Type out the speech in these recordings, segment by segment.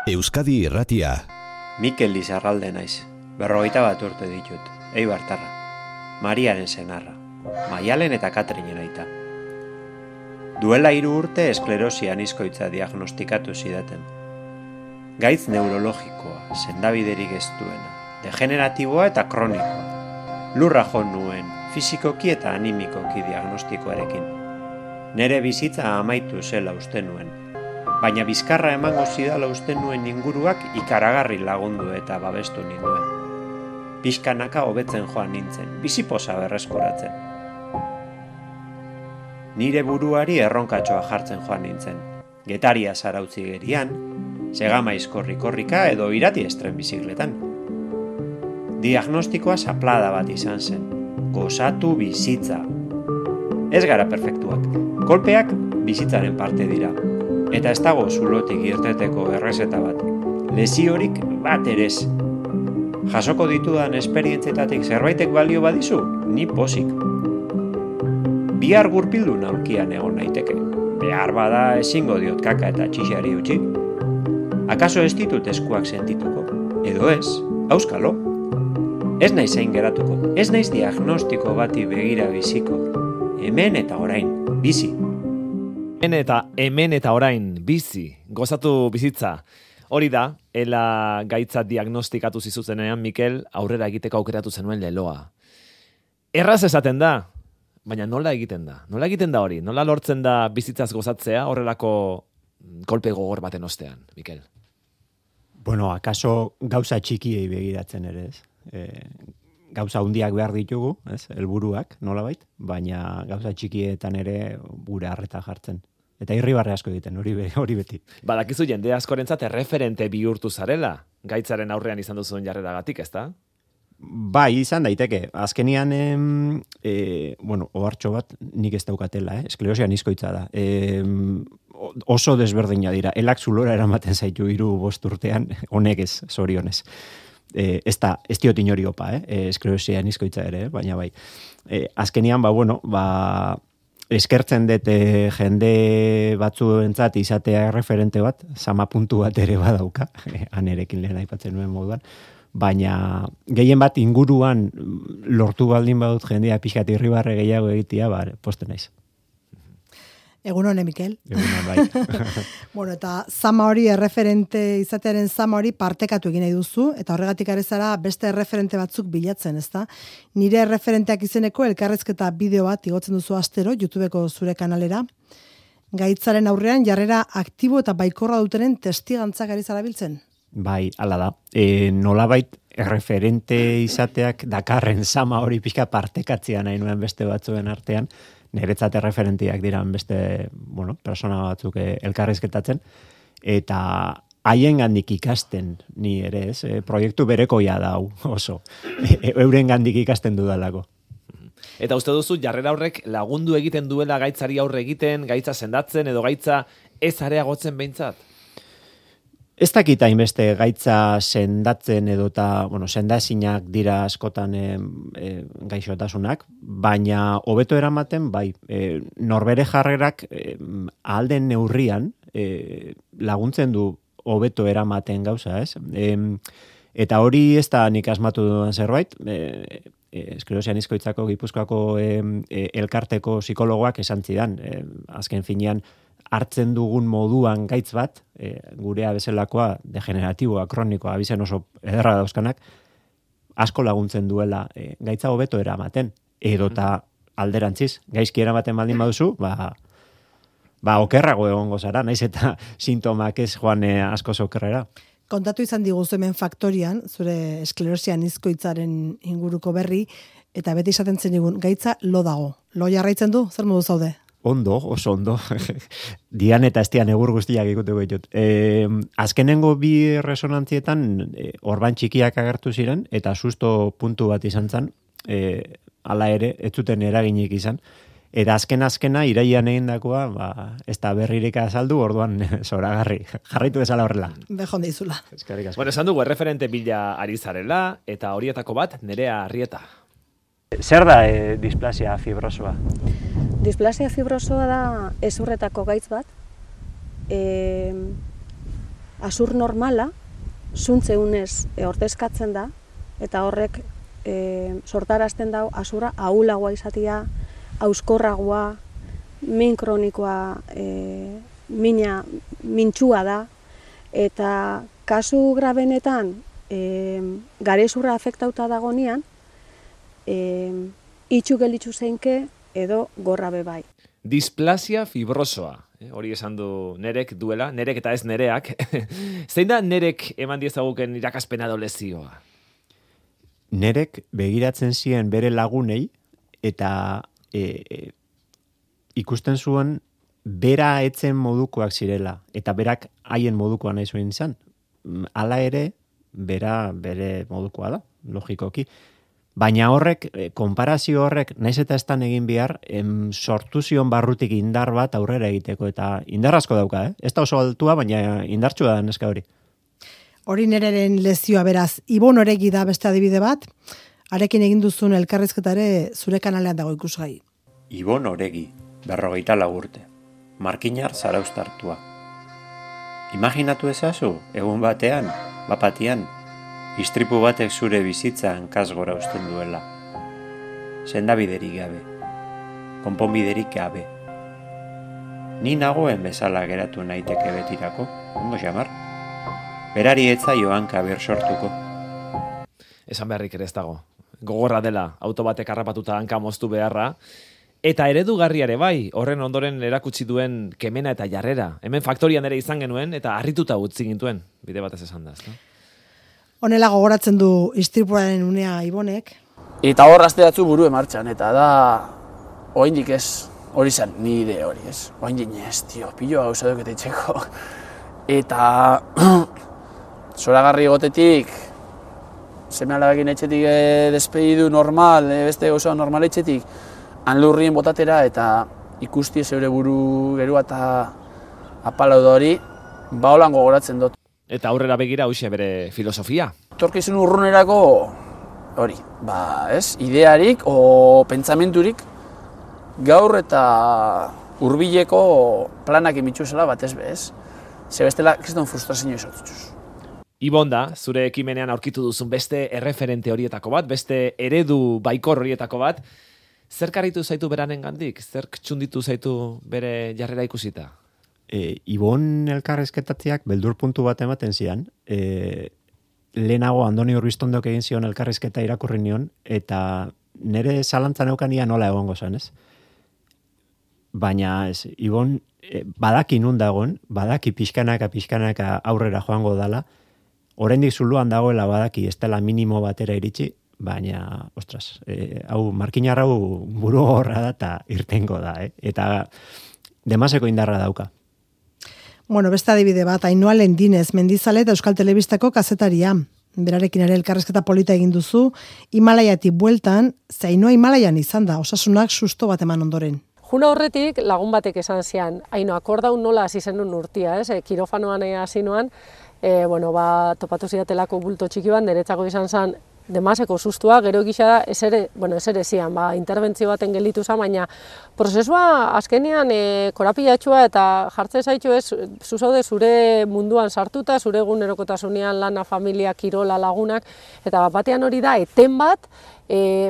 Euskadi Irratia. Mikel Lizarralde naiz, 41 urte ditut, Eibartarra, Mariaren senarra, Maialen eta Katrinen aita. Duela 3 urte esklerosi anizkoitza diagnostikatu zidaten. Gaitz neurologikoa, sendabiderik ez duena, degeneratiboa eta kronikoa. Lurra jo nuen, fisikoki eta animikoki diagnostikoarekin. Nere bizitza amaitu zela uste nuen, baina bizkarra emango zidala uste nuen inguruak ikaragarri lagundu eta babestu ninduen. Pixkanaka hobetzen joan nintzen, biziposa berreskuratzen. Nire buruari erronkatxoa jartzen joan nintzen. Getaria zarautzi gerian, segamaiz korrika edo irati estren bizikletan. Diagnostikoa zaplada bat izan zen. Gozatu bizitza. Ez gara perfektuak. Kolpeak bizitzaren parte dira. Eta ez dago zulotik irteteko errezeta bat. Lesiorik bat ere ez. Jasoko ditudan esperientzietatik zerbaitek balio badizu, ni pozik. Bihar gurpildu aulkian egon naiteke. Behar bada ezingo diot kaka eta txixari utzi. Akaso ez ditut eskuak sentituko? Edo ez, auskalo. Ez naiz hain geratuko, ez naiz diagnostiko bati begira biziko. Hemen eta orain, bizi. Hemen eta orain, bizi, gozatu bizitza. Hori da, ela gaitza diagnostikatu zizuzenean, Mikel, aurrera egiteko aukeratu zenuen leloa. Erraz esaten da, baina nola egiten da? Nola egiten da hori? Nola lortzen da bizitzaz gozatzea horrelako kolpe gogor baten ostean, Mikel? Bueno, akaso gauza txikiei begiratzen ere, ez? Gauza hundiak behar ditugu, ez? Helburuak, nolabait, baina gauza txikietan ere gure harreta jartzen. Eta irribarre asko egiten, hori beti. Badakizu jende askorentzat erreferente bihurtu zarela, gaitzaren aurrean izan duzuen jarreragatik, ezta? Bai, izan daiteke. Azkenian, ohartxo bat nik ez daukatela, esklerosia anizkoitza da. Oso desberdina dira. Elak zulora eramaten zaitu 3-5 urtean, honek ez, zorionez. Ez diot inori opa, esklerosia anizkoitza ere, baina bai. Azkenian, eskertzen dut jende batzuentzat izatea referente bat, sama puntu bat ere badauka, anerekin lehen aipatzen nuen moduan, baina gehien bat inguruan lortu baldin badut jendea pixkat irribarre gehiago egitea, poste naiz. Egun hone, Mikel. Egun bai. Bueno, eta zama hori, erreferente izatearen zama hori partekatu egin nahi duzu, eta horregatik ari zara beste erreferente batzuk bilatzen, ezta? Nire erreferenteak izeneko elkarrezketa bideo bat igotzen duzu astero, YouTubeko zure kanalera. Gaitzaren aurrean jarrera aktibo eta baikorra dutenen testigantzak ari zara biltzen? Bai, hala da. Nolabait erreferente izateak dakarren zama hori pixka partekatzea nahi nuen beste batzuen artean, niretzat erreferentiak diran beste, persona batzuk elkarrizketatzen, eta haien gandik ikasten ni ere, ez? Proiektu berekoia da hau, oso. Euren gandik ikasten dudalako. Eta uste duzu, jarrera horrek lagundu egiten duela gaitzari aurre egiten, gaitza sendatzen, edo gaitza ez areagotzen behintzat? Ez dakit hainbeste gaitza sendatzen edota, sendaezinak dira askotan gaixotasunak, baina hobeto eramaten, bai, norbere jarrerak ahalden neurrian laguntzen du hobeto eramaten gauza, ez? Eta hori ez da nik asmatu dudan zerbait, esklerosia anizkoitzako Gipuzkoako elkarteko psikologoak esan zidan, azken finean, hartzen dugun moduan gaitz bat, gurea bezalakoa, degeneratiboa, kronikoa, abizen oso ederra dauzkanak, asko laguntzen duela gaitza hobeto eramaten. Edota alderantziz, gaizki eramaten baldin baduzu, okerrago egongo zara, naiz eta sintomak ez joan asko okerrera. Kontatu izan diguzu hemen faktorian, zure esklerosia anizkoitzaren inguruko berri, eta beti izaten zen digun, gaitza lo dago. Lo jarraitzen du, zer modu zaude? Ondo, oso ondo. Dian eta estian egur guztiak ikuteko ditut. Azkenengo 2 resonantzietan orban txikiak agertu ziren, eta susto puntu bat izan zen, hala ere, ez zuten eraginik izan. Eta azkena, iraian egindakoa, ez da berririk azaldu, orduan zoragarri. Jarraitu bezala horrela. Bejon deizula. Bueno, esan dugu erreferente bila ari zarela, eta horietako bat, Nerea Arrieta. Zer da displasia fibrosoa? Displasia fibrosoa da ezurretako gaitz bat, azur normala, zuntzeunez ordezkatzen da, eta horrek sortarazten dau azura ahulagoa izatea, auskorragoa, min kronikoa, mintxua da, eta kasu grabenetan garezurra afektauta dagonean, itxu gelitzu zeinke edo gorra bebai. Displasia fibrosoa, hori esan du nerek duela, nerek eta ez nereak. Zein da nerek eman diezaguken irakaspena edo lezioa? Nerek begiratzen zien bere lagunei eta ikusten zuen bera etzen modukoak zirela eta berak haien modukoa nahi zuen izan. Hala ere, bera bere modukoa da, logikoki. Baina horrek, konparazio horrek, naiz eta estan egin behar, sortu zion barrutik indar bat aurrera egiteko, eta indar asko dauka, Ez da oso altua, baina indartsua da neska hori. Hori nereren lezioa beraz, Ibon Oregi da beste adibide bat, arekin egin duzun elkarrizketa ere zure kanalean dago ikusgai. Ibon Oregi, 44 urte, markinar zarauztartua. Imaginatu ezazu, egun batean, bapatian, istripu batek zure bizitza hankasgora uzten duela. Sendabiderik gabe, konponbiderik gabe. Ni nagoen bezala geratu naiteke betirako, ondo xamar. Berari etzaio hanka ber sortuko. Esan beharrik ere ez dago. Gogorra dela, auto batek harrapatuta hanka moztu beharra, eta eredugarriare bai, horren ondoren erakutsi duen kemena eta jarrera. Hemen faktorian ere izan genuen, eta harrituta utzi gintuen, bide batez esan da. Honela gogoratzen du istripuaren unea Ibonek. Eta hor asteatzu buru emartxan, eta da, oraindik ez, hori zen, nire hori ez. Oraindik ez, piloa gauza dukete itxeko. Eta, zoragarri gotetik, seme alabekin etxetik despedidu normal, beste gauza normal etxetik, hanlurrien botatera, eta ikusti zeure buru gerua eta apalau da hori, ba holan gogoratzen dut. Eta aurrera begira hoxe bere filosofia. Torkizun urrunerako hori, idearik o pentsamenturik gaur eta hurbileko planak emitxuzela batez bez. Ze bestela, kriston frustrazio izotutuz. Ibon da, zure ekimenean aurkitu duzun beste erreferente horietako bat, beste eredu baikor horietako bat. Zer karitu zaitu beranen gandik? Zer txunditu zaitu bere jarrera ikusita? Ibon elkarrizketatziak beldur puntu bat ematen zian. Lehenago Andoni Urbiztondok egin zion elkarrizketa irakurri nion, eta nire zalantzan eukania nola egongo zen, ez? Baina Ibon badaki nun dagoen, badaki pixkanaka aurrera joango dala, oraindik zuluan dagoela badaki ez dela minimo batera iritsi, baina, ostras, markinar hau buru horra da eta irtengo da, eta demaseko indarra dauka. Bueno, beste adibide bat, Ainhoa Lendinez, Mendizale eta Euskal Telebistako kazetaria. Berarekin ere elkarrizketa polita egin duzu, Himalaiatik bueltan, ze Ainhoa Himalaian izan da, osasunak susto bat eman ondoren. Juna horretik lagun batek esan zian, Ainhoa, akordaun nola hasi zenun urtia, kirofanoan hasi noan, topatu zidatelako bulto txiki bat, niretzako izan zen, demaseko sustua, gero egisa da, ez ere zian, interbentzio baten gelditu zen, baina prozesua azkenean korapilatxua eta jartzen zaitu ez, zuzaude zure munduan sartuta, zure egunerokotasunean lana, familia, kirola, lagunak, eta batean hori da, eten bat,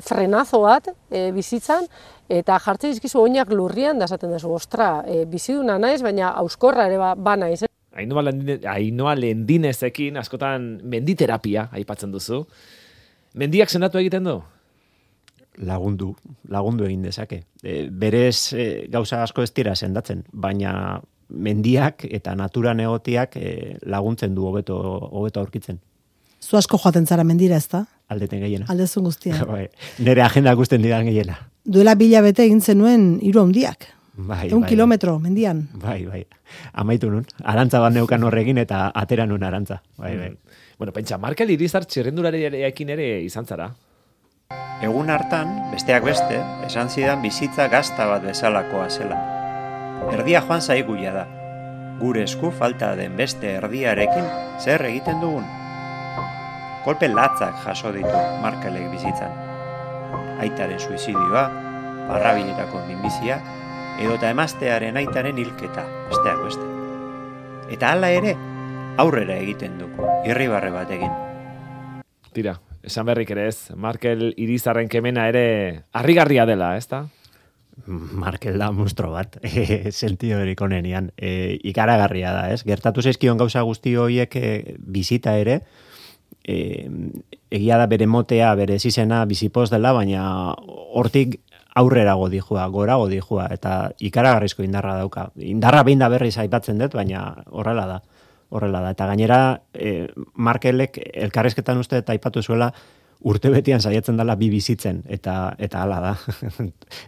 frenazo bat bizitzan, eta jartzen dizkizu oinak lurrian, da esaten duzu, ostra, biziduna naiz, baina auskorra ere ba naiz. Ainhoa Lendinezekin askotan menditerapia aipatzen duzu. Mendiak sendatu egiten du? Lagundu egin dezake. Berez gauza asko ez dira sendatzen, baina mendiak eta naturan egotiak laguntzen du hobeto aurkitzen. Zu asko joaten zara mendira, ez da? Aldeten gehiena. Aldezun guztia. Nere agenda gusten didan gehiena. Duela 2 hilabete egin zenuen 3 handiak. 1 kilometro mendian. Bai. Amaitu nun. Arantza bat neukan horrekin eta atera nun arantza. Bai. Bueno, pentsa, Markel Irizar txirrendularekin ere izan zara. Egun hartan, besteak beste, esan zidan bizitza gazta bat bezalakoa zela. Erdia joan zaiguia da. Gure esku falta den beste erdiarekin zer egiten dugun. Kolpe latzak jaso ditu Markelek bizitzan. Aitaren suizidioa, barrabiletako minbizia, edota emaztearen aitaren hilketa, besteak beste. Eta hala ere, aurrera egiten du, irribarre batekin. Tira, esan berrik ere ez, Markel Irizarren kemena ere harrigarria dela, ezta? Markel da monstro bat, sentio erik onenian, ikaragarria da, ez? Gertatu zaizkion gauza guzti horiek bizita ere, egia da bere motea, bere zizena bizipoz dela, baina hortik aurrera godijua, gora godijua, eta ikaragarrizko indarra dauka. Indarra behin da berriz aipatzen dut, baina horrela da. Eta gainera, Markelek elkarrizketan uste eta aipatu zuela, urtebetian saiatzen dela bi bizitzen, eta hala da.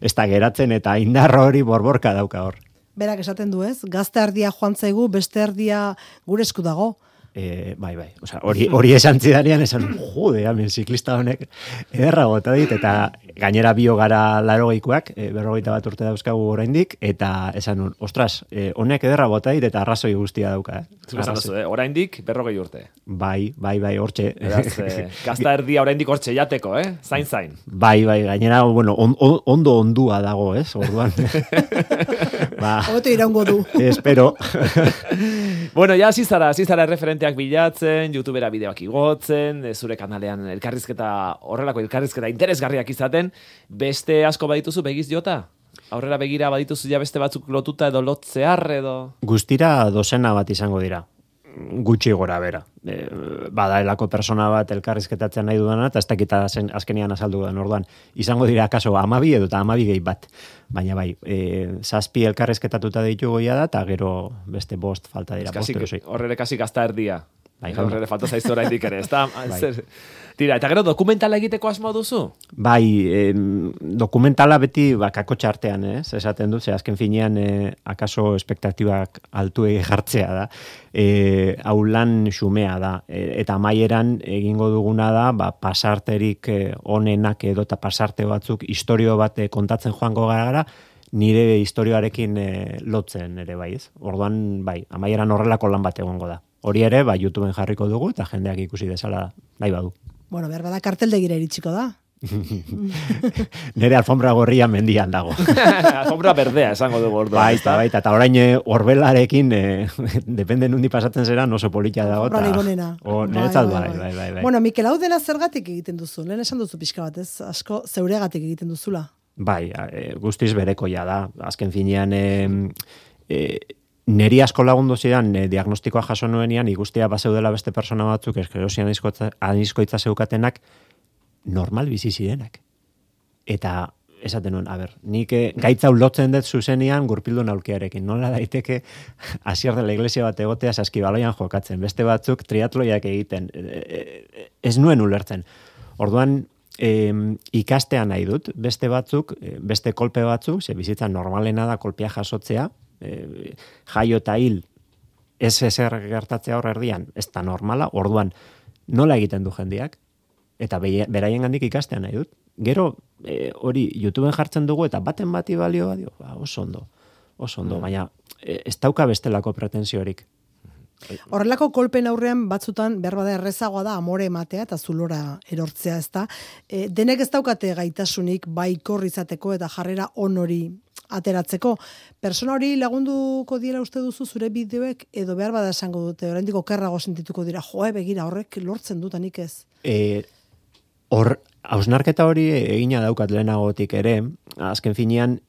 Ez da geratzen, eta indarra hori borborka dauka hor. Berak esaten du ez, gazte erdia joan zaigu, beste erdia gure esku dago. Bai. Osea, hori esan zidanean, esan, jode, hemen ziklista honek ederra gota dit, eta gainera bio gara 80koak, 41 urte dauzkagu oraindik, eta esan nun, ostras, honek ederra gota dit, eta arrazoi guztia dauka. Zuk esan duzu, oraindik 40 urte. Bai, hortxe. Beraz, gazta erdia oraindik hortxe jateko, zain. Bai, gainera, bueno, ondo ondua dago, ez, orduan. Hobeto iraungo du. Espero. Bueno, ja, zizara referenteak bilatzen, YouTubera bideoak igotzen, zure kanalean horrelako elkarrizketa interesgarriak izaten, beste asko badituzu begiz jota? Aurrera begira badituzu ja beste batzuk lotuta edo lotzear edo? Guztira dozena bat izango dira. Gutxi gora bera. Badaelako persona bat elkarrizketatzen nahi dudana, eta ez dakita azkenian azaldu den orduan. Izango dira kaso 12 edo 12 gehi bat. Baina bai, 7 elkarrizketatuta ditugu goia da, eta gero beste 5 falta dira. Horrere kasi gazta erdia. Bai, horrere falta zaizu oraindik ere, ezta? Tira, eta gero dokumentala egiteko asmo duzu? Bai, dokumentala beti bakako txartean, esaten dut, azken finean akaso espektatibak altu jartzea da. Hau lan xumea da, eta amaieran egingo duguna da, pasarterik onenak edo eta pasarte batzuk historio bat kontatzen joango gara, nire historioarekin lotzen ere bai, ez? Orduan, bai, amaieran horrelako lan bat egongo da. Hori ere, YouTubeen jarriko dugu, eta jendeak ikusi dezala nahi badu. Bueno, behar bada karteldegira iritsiko da. Nere alfombra gorria mendian dago. Alfombra berdea esango dugu orduan. Baita, eta orain orbelarekin, depende nundi pasatzen zera, oso polita dago. Alfombra ligonena. Niretzat bai. Bueno, Mikel, hau dena zergatik egiten duzu? Lehen esan duzu pixka bat, ez? Asko zeuregatik egiten duzula. Bai, guztiz berekoia da. Azken finean, neri asko lagundu zidan diagnostikoa jaso nuenean, ikustea bazeudela beste persona batzuk esklerosian anizkoitza zeukatenak normal bizi zirenak. Eta esaten nuen, nik gaitza lotzen dut zuzenean gurpildun aulkiarekin. Nola daiteke hasier dela iglesia bat egotea saskibaloian jokatzen. Beste batzuk triatloiak egiten. Ez nuen ulertzen. Orduan, ikastea nahi dut. Beste batzuk, beste kolpe batzuk, ze bizitza normalena da kolpea jasotzea, jaio eta hil ez ezer gertatzea hor erdian, ez da normala, orduan nola egiten du jendeak, eta beraien gandik ikastea nahi dut. Gero, hori YouTubeen jartzen dugu, eta baten bati balio, oso ondo, baina ez dauka bestelako pretensiorik. Horrelako kolpen aurrean batzutan behar bada errezagoa da amore ematea eta zulora erortzea, ez da. Denek ez daukate gaitasunik baikor izateko eta jarrera onori ateratzeko. Persona hori lagunduko dira uste duzu zure bideoek edo behar bada esango dute, oraindik okerrago sentituko dira, begira horrek lortzen dutanik ez. Hausnarketa hori egina daukat lehenagotik ere, azken finean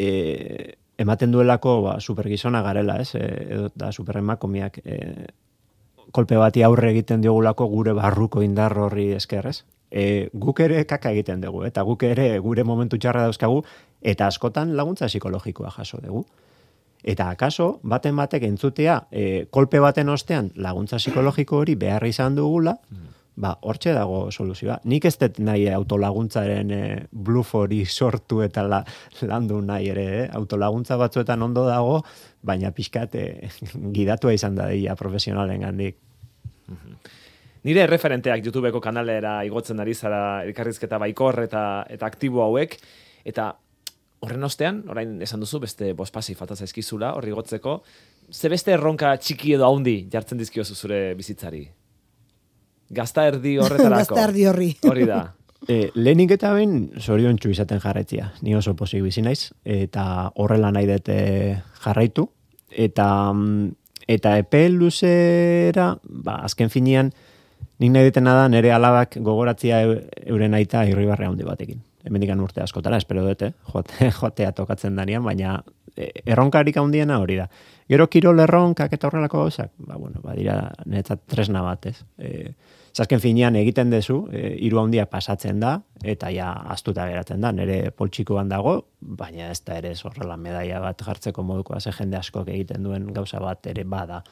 ematen duelako supergizona garela, ez? Edo da superemakomiak kolpe bati aurre egiten diogulako gure barruko indar horri esker, ez? Guk ere kaka egiten dugu, eta guk ere gure momentu txarra dauzkagu, eta askotan laguntza psikologikoa jaso dugu. Eta akaso, baten batek entzutea, kolpe baten ostean laguntza psikologiko hori behar izan dugula, hortxe dago soluzioa. Nik ez dut nahi autolaguntzaren bluff hori sortu eta landu nahi ere, autolaguntza batzuetan ondo dago, baina pixkat gidatua izan da dira profesionalen gandik. Nire referenteak YouTubeko kanalera igotzen ari zara elkarrizketa baikor eta aktibo hauek, eta horren ostean, orain esan duzu, beste bospasi falta zaizkizula, horri igotzeko, ze beste erronka txiki edo haundi jartzen dizkiozu zure bizitzari? Gazta erdi horretarako. Gazta erdi horri. Hori da. Lehenik eta behin zoriontsu izaten jarraitzia. Ni oso pozik bizi naiz, eta horrela nahi dute jarraitu. Eta Eta epe luzera, azken finean, nik nahi ditena da nire alabak gogoratzia euren aita Irribarre handi batekin. Hemendikan urte askotara, espero dute, joatea tokatzen danean, baina erronkarik handiena hori da. Gero kirol erronkak eta horrelako gauzak, dira niretzat tresna bat, ez? Azken finean egiten dezu, hiru handia pasatzen da, eta ja astuta geratzen da, nire poltsikoan dago, baina ez da ere horrela medaia bat jartzeko modukoa, ze jende askok egiten duen gauza bat ere bada,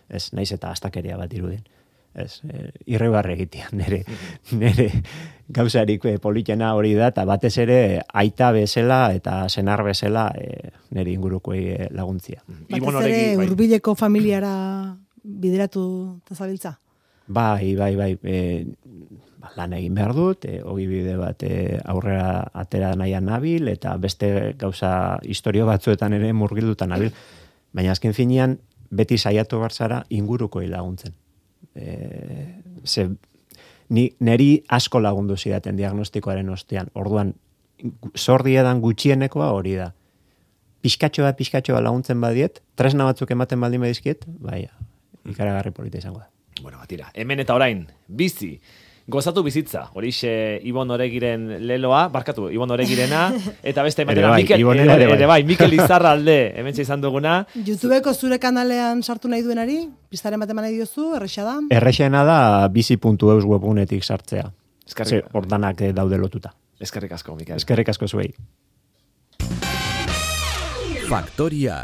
ez naiz eta astakeria bat irudien. Ez, Irribarre egitea, nire gauzarik politena hori da, eta batez ere aita bezala eta senar bezala nire ingurukoei laguntzia. Batez ere hurbileko familiara bideratu tazabiltza? Bai, lan egin behar dut, hogi bide bat aurrera atera nahian nabil, eta beste gauza historio batzuetan ere murgildutan nabil. Baina azken finean, beti saiatu barzara ingurukoei laguntzen. Neri asko lagundu zidaten diagnostikoaren ostean. Orduan, zordiedan gutxienekoa hori da. Pixkatxoa laguntzen badiet, tresna batzuk ematen baldin badizkiet, ikaragarri polita izango da. Bueno, batira, hemen eta orain, bizi, gozatu bizitza, horixe Ibon Oregiren leloa, barkatu, Ibon Oregirena, eta beste ematera, Mikel Izarralde, hemen izan duguna. YouTubeko zure kanalean sartu nahi duenari, piztaren bat eman nahi diozu, erresa da? Erresena da bizi.eus webgunetik sartzea. Hordanak daude lotuta. Eskerrik asko, Mikel. Eskerrik asko zuei. Faktoria.